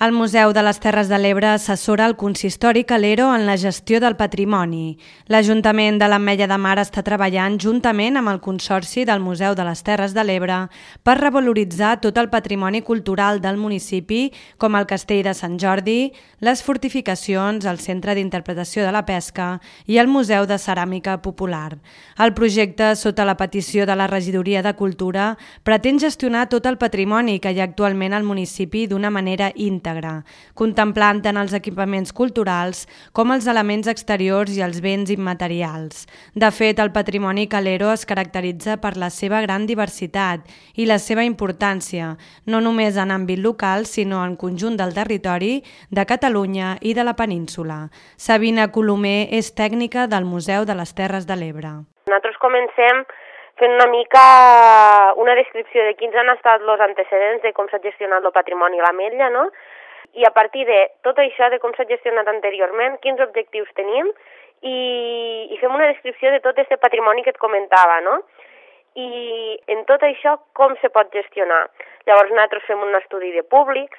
El Museu de les Terres de l'Ebre assessora el consistori Calero en la gestió del patrimoni. L'Ajuntament de l'Ametlla de Mar està treballant juntament amb el Consorci del Museu de les Terres de l'Ebre per revaloritzar tot el patrimoni cultural del municipi, com el Castell de Sant Jordi, les fortificacions, el Centre d'Interpretació de la Pesca i el Museu de Ceràmica Popular. El projecte, sota la petició de la Regidoria de Cultura, pretén gestionar tot el patrimoni que hi ha actualment al municipi d'una manera íntegra, contemplant tant els equipaments culturals com els elements exteriors i els béns immaterials. De fet, el patrimoni Calero es caracteritza per la seva gran diversitat i la seva importància, no només en àmbit local, sinó en conjunt del territori, de Catalunya i de la península. Sabina Colomer és tècnica del Museu de les Terres de l'Ebre. Nosaltres comencem fent una mica una descripció de quins han estat els antecedents de com s'ha gestionat el patrimoni a l'Ametlla, no? I a partir de tot això, de com s'ha gestionat anteriorment, quins objectius tenim i fem una descripció de tot aquest patrimoni que et comentava, no? I en tot això, com se pot gestionar? Llavors nosaltres fem un estudi de públics,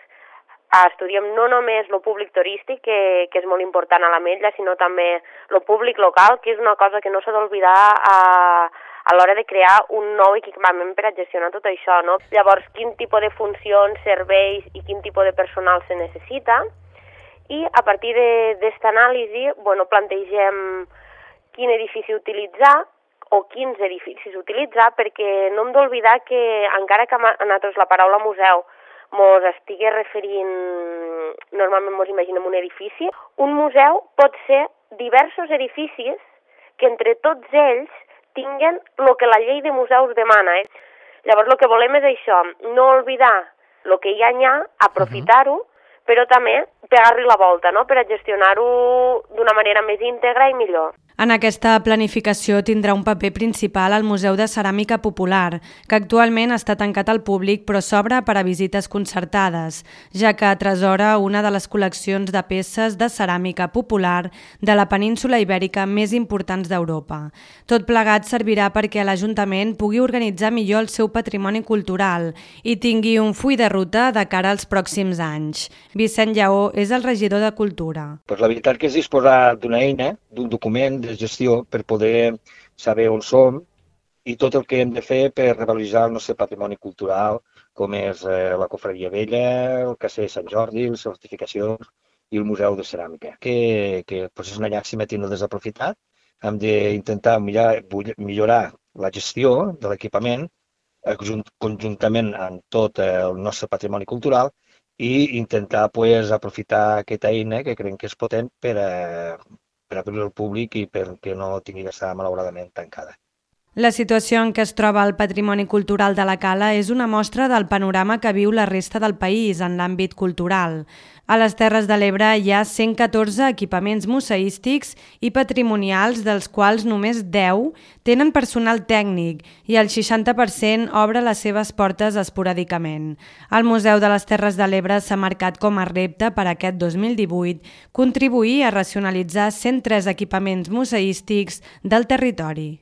estudiem no només el públic turístic, que és molt important a l'Ametlla, sinó també el públic local, que és una cosa que no s'ha d'oblidar a l'hora de crear un nou equipament per a gestionar tot això, no? Llavors, quin tipus de funcions, serveis i quin tipus de personal se necessita. I a partir d'aquesta anàlisi, plantegem quin edifici utilitzar o quins edificis utilitzar, perquè no hem d'oblidar que, encara que a nosaltres la paraula museu mos estigui referint, normalment mos imaginem un edifici, un museu pot ser diversos edificis que entre tots ells tinguen el que la llei de museus demana. Llavors el que volem és això, no oblidar el que ja hi ha, aprofitar-ho, però també pegar-li la volta, no?, per a gestionar-ho d'una manera més íntegra i millor. En aquesta planificació tindrà un paper principal el Museu de Ceràmica Popular, que actualment està tancat al públic però s'obre per a visites concertades, ja que atresora una de les col·leccions de peces de ceràmica popular de la península ibèrica més importants d'Europa. Tot plegat servirà perquè l'Ajuntament pugui organitzar millor el seu patrimoni cultural i tingui un full de ruta de cara als pròxims anys. Vicent Lleó és el regidor de Cultura. La veritat que és disposar d'una eina, d'un document de gestió per poder saber on som i tot el que hem de fer per revaloritzar el nostre patrimoni cultural, com és la Cofreria Vella, el Castell de Sant Jordi, les fortificacions i el Museu de Ceràmica, que és una llàstima tenir desaprofitat. Hem d'intentar millorar la gestió de l'equipament conjuntament amb tot el nostre patrimoni cultural i intentar aprofitar aquesta eina que creiem que és potent per obrir al públic i perquè no tingui d'estar malauradament tancada. La situació en què es troba el patrimoni cultural de la Cala és una mostra del panorama que viu la resta del país en l'àmbit cultural. A les Terres de l'Ebre hi ha 114 equipaments museístics i patrimonials, dels quals només 10 tenen personal tècnic i el 60% obre les seves portes esporàdicament. El Museu de les Terres de l'Ebre s'ha marcat com a repte per aquest 2018 contribuir a racionalitzar 103 equipaments museístics del territori.